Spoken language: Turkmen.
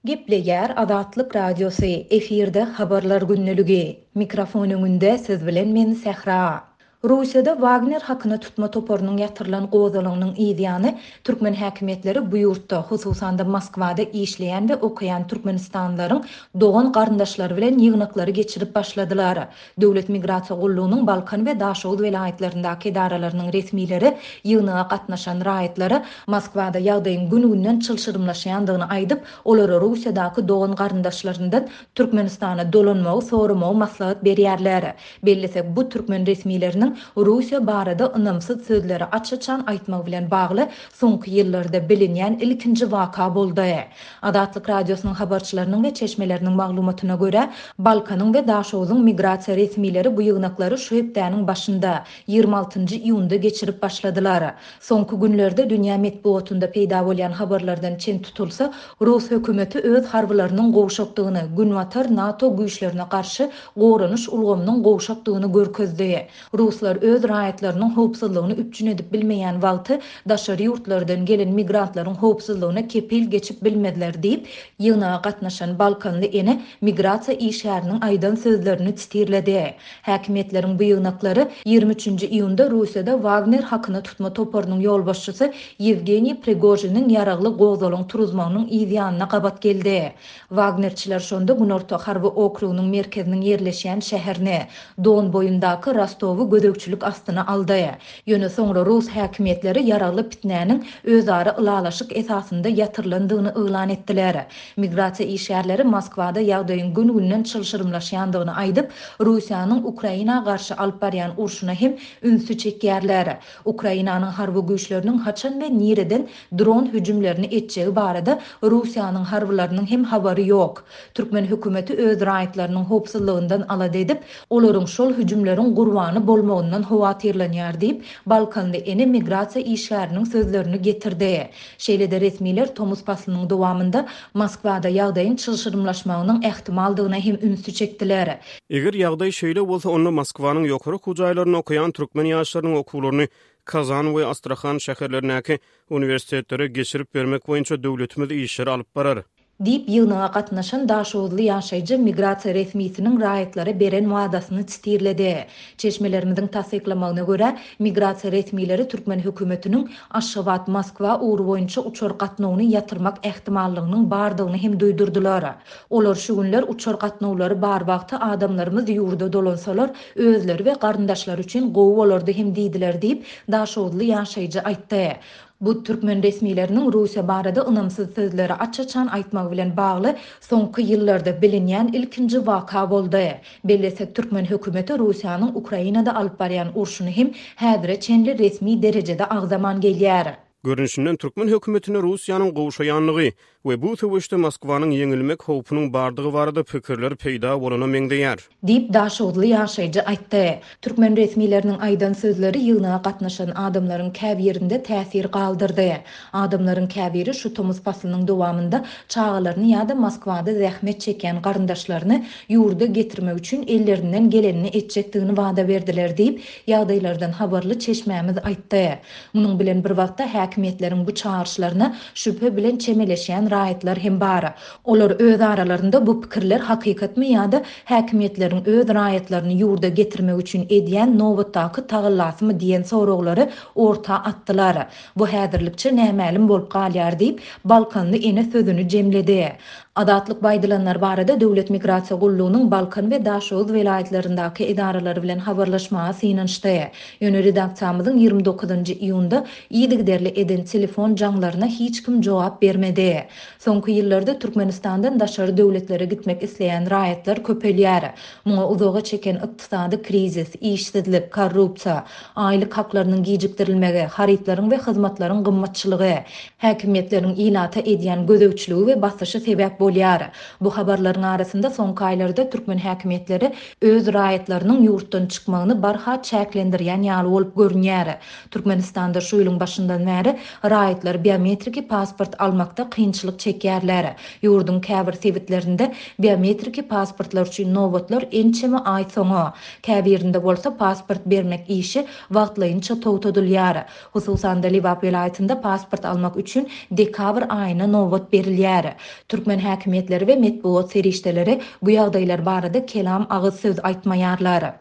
Gepleýär Azatlyk Radiosy, efirde Habarlar gündeligi. Mikrofon öňünde siz bilen men Sähra. Russiýada Wagner hakyna tutma toparynyň ýatyrylan gozgalaňynyň yz ýany, türkmen häkimiýetleri bu ýurtda, hususan-da Moskwada işleýän we okaýan türkmenistanlylaryň dogan-garyndaşlary bilen ýygnaklary geçirip başladylar. Döwlet migrasiýa gullugynyň Balkan we Daşoguz welaýatlaryndaky edaralarynyň resmileri ýygnaga gatnaşan raýatlara Moskwada ýagdaýyň gün-günden çylşyrymlaşýandygyny aýdyp, olara Russiýadaky dogan-garyndaşlaryndan Türkmenistana dolanmagy soramagy maslahat berýärler. Bellesek, bu türkmen resmileriniň Russiýa barada ynamsyz sözleri aç-açan aýtmagy bilen bagly soňky ýyllarda bilinýän ilkinji waka boldy. Azatlyk Radiosynyň habarçylarynyň we çeşmeleriniň maglumatyna görä, Balkanyň we Daşogzuň migrasiýa resmileri bu ýygnaklary şu hepdäniň başynda, 26 nji iýunda geçirip başladylar. Soňky günlerde dünýä metbugatynda peýda bolýan habarlardan çen tutulsa, rus hökümeti öz harbylarynyň gowşakdygyny, Günbatar NATO güýçlerine garşy goranyş ulgamynyň gowşakdygyny görkezdi. Ruslar öz raýatlarynyň howpsuzlygyny üpjün edip bilmeýän wagty daşary ýurtlardan gelen migrantlaryň howpsuzlygyna kepil geçip bilmezler diýip, ýygnaga gatnaşan balkanly ene migrasiýa işgäriniň aýdan sözlerini sitirledi. Häkimiýetleriň bu ýygnaklary 23 nji iýunda Russiýada Wagner hakyna tutma toparynyň ýolbaşçysy Ýewgeniý Prigožiniň ýaragly gozgalaň turuzmagynyň yz ýanyna gabat geldi. Wagnerçiler şonda Günorta harby okrugynyň merkeziniň ýerleşýän şäherini, Don boýundaky Rostowy gözegçilik astyna aldy. Ýöne soňra rus häkimiýetleri ýaragly pitnäniň özara ylalaşyk esasynda ýatyrylandygyny yglan etdiler. Migrasiýa işgärleri Moskwada ýagdaýyň gün-günden çylşyrymlaşýandygyny aýdyp, Russiýanyň Ukraina garşy alyp barýan urşuna hem ünsi çekýärler. Ukrainanyň harby güýçleriniň haçan we nireden dron hüjümlerini etjegi barada Russiýanyň harbylarynyň hem habary ýok. Türkmen hökümeti öz raýatlarynyň howpsuzlygyndan alada edip, olaryň şol hüjümleriň gurbany bolmagyndan howatyrlanýar diýip, balkanly ene migrasiýa işgäriniň sözlerini getirdi. Şeýle-de resmiler tomus paslynyň dowamynda Moskwada ýagdaýyň çylşyrymlaşmagynyň ähtimaldygyna hem ünsi çekdiler. Eger ýagdaý şeýle bolsa, onda Moskwanyň ýokary okuw jaýlarynda okaýan türkmen ýaşlarynyň okuwlaryny Kazan we Astrahan şäherlerindäki uniwersitetlere geçirip bermek boýunça döwletimiz işleri alyp barar. Diýip, ýygnaga gatnaşan daşoguzly ýaşaýjy migrasiýa resmisiniň raýatlara beren wadasyny sitirledi. Çeşmelerimiziň tassyklamagyna görä, migrasiýa resmileri türkmen hökümetiniň Aşgabat-Moskwa ugry boýunça uçar gatnawyny ýatyrmak ähtimallygynyň bardygyny hem duýdurdylar. Olar şu günler uçar gatnawlary bar wagty adamlarymyz ýurda dolansalar, özleri we garyndaşlary üçin gowy bolardy hem diýdiler diýip, daşoguzly ýaşaýjy aýtdy. Bu türkmen resmileriniň Russiýa barada ynamsyz sözleri aç-açan aýtmagy bilen bagly soňky ýyllarda bilinýän ilkinji waka boldy. Bellesek, türkmen hökümeti Russiýanyň Ukrainada alyp barýan urşuny hem häzire çenli resmi derejede agzaman gelýär. Görnüşinden, türkmen hökümetinde Russiýanyň gowşaýandygy we bu söweşde Moskwanyň ýeňilmek howpunyň bardygy barada pikirler peýda bolana meňzeýär. Diýip, daşoguzly ýaşaýjy aýtdy. Türkmen resmileriniň aýdan sözleri ýygnaga gatnaşan adamlaryň käbirinde täsir galdyrdy. Adamlaryň käbiri şu tomus paslynyň dowamynda çagalaryny ýa-da Moskwada zähmet çekýän garyndaşlaryny ýurda getirmek üçin ellerinden gelenini etjekdigini wada berdiler diýip, ýagdaýlardan habarly çeşmämiz aýtdy. Munuň bilen bir wagtda, häkimiýetleriň bu çagyryşlaryna şübhe bilen çemeleşýän raýatlar hem bar. Olar öz aralarynda bu pikirler hakykatmy ýa-da häkimiýetleriň öz raýatlaryny ýurda getirmek üçin edýän nobatdaky tagallasymy diýen soraglary orta atdylar. Bu häzirlikçe nämälim bolup galýar diýip, balkanly ene sözüni jemledi. Azatlyk bu aýdylanlar barada Döwlet migrasiýa gullugynyň Balkan we Daşoguz welaýatlaryndaky edaralary bilen habarlaşmaga synanyşdy. Ýöne redaksiýamyzyň 29 iýunda yzygiderli eden telefon jaňlaryna hiç kim jogap bermedi. Soňky ýyllarda Türkmenistandan daşary döwletlere gitmek isleýän raýatlar köpelýär. Muňa uzaga çeken ykdysady krizis, işsizlik, korrupsiýa, aýlyk haklarynyň gijikdirilmegi, harytlaryň we hyzmatlaryň gymmatçylygy, häkimiýetleriň ilata edýän gözegçiligi we basyşy sebäp bolýar. Bu habarlaryň arasynda soňky aýlarda türkmen häkimiýetleri öz raýatlarynyň ýurtdan çykmagyny barha çäklendirýän ýaly bolup görünýär. Türkmenistanda şu ýylyň başyndan bäri raýatlar biometriki pasport almakda kynçylyk çekýärler. Ýurduň käbir sebitlerinde biometriki pasportlar üçin nobatlar ençeme aý soňa, käbirinde bolsa pasport bermek işi wagtlaýynça togtadylýar. Hususan-da, Lebap welaýatynda pasport almak üçin dekabr aýyna nobat berilýär. Türkmen. Türkmen häkimiýetleri we metbugat serişdeleri bu ýagdaýlar barada kelam agyz söz aýtmaýarlar.